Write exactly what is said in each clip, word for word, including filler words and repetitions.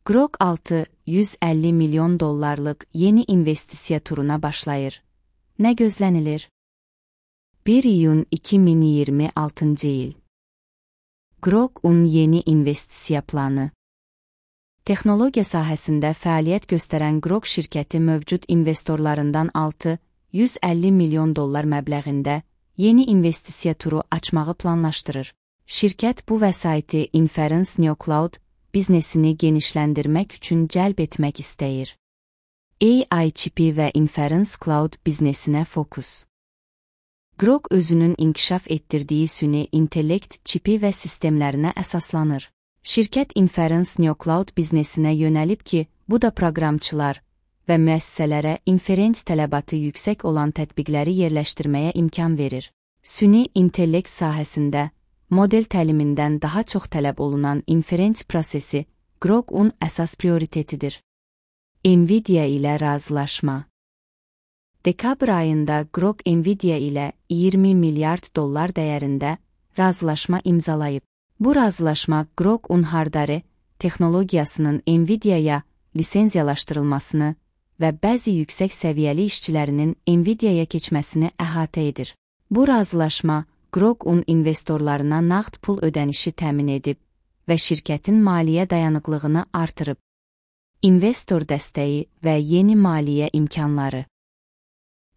Grok altı yüz əlli milyon dollarlıq yeni investisiya turuna başlayır. Nə gözlənilir? bir iyun iki min iyirmi altıncı il. Grok-un yeni investisiya planı. Texnologiya sahəsində fəaliyyət göstərən Grok şirkəti mövcud investorlarından altı yüz əlli milyon dollar məbləğində yeni investisiya turu açmağı planlaşdırır. Şirkət bu vəsaiti Inference NeoCloud biznesini genişləndirmək üçün cəlb etmək istəyir. A I çipi və Inference Cloud biznesinə fokus. Grok özünün inkişaf etdirdiyi süni intellekt çipi və sistemlərinə əsaslanır. Şirkət Inference NeoCloud biznesinə yönəlib ki, bu da proqramçılar və müəssisələrə inferens tələbatı yüksək olan tətbiqləri yerləşdirməyə imkan verir. Süni intellekt sahəsində model təlimindən daha çox tələb olunan inferens prosesi Grok-un əsas prioritetidir. Nvidia ilə razılaşma. Dekabr ayında Grok Nvidia ilə iyirmi milyard dollar dəyərində razılaşma imzalayıb. Bu razılaşma Grok-un hardware texnologiyasının Nvidia-ya lisenziyalaşdırılmasını və bəzi yüksək səviyyəli işçilərinin Nvidia-ya keçməsini əhatə edir. Bu razılaşma Grok-un investorlarına nağd pul ödənişi təmin edib və şirkətin maliyyə dayanıqlığını artırıb. İnvestor dəstəyi və yeni maliyyə imkanları.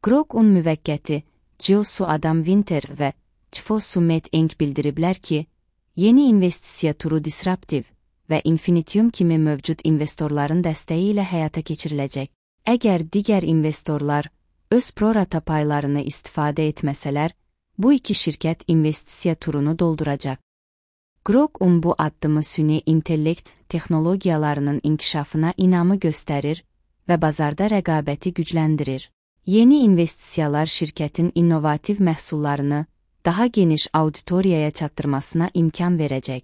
Grok-un müvəqqəti Jiosu Adam Winter və Chifosu Met Eng bildiriblər ki, yeni investisiya turu disruptiv və Infinitium kimi mövcud investorların dəstəyi ilə həyata keçiriləcək. Əgər digər investorlar öz prorata paylarını istifadə etməsələr, bu iki şirkət investisiya turunu dolduracaq. Grok-un bu addımı süni intellekt texnologiyalarının inkişafına inamı göstərir və bazarda rəqabəti gücləndirir. Yeni investisiyalar şirkətin innovativ məhsullarını daha geniş auditoriyaya çatdırmasına imkan verəcək.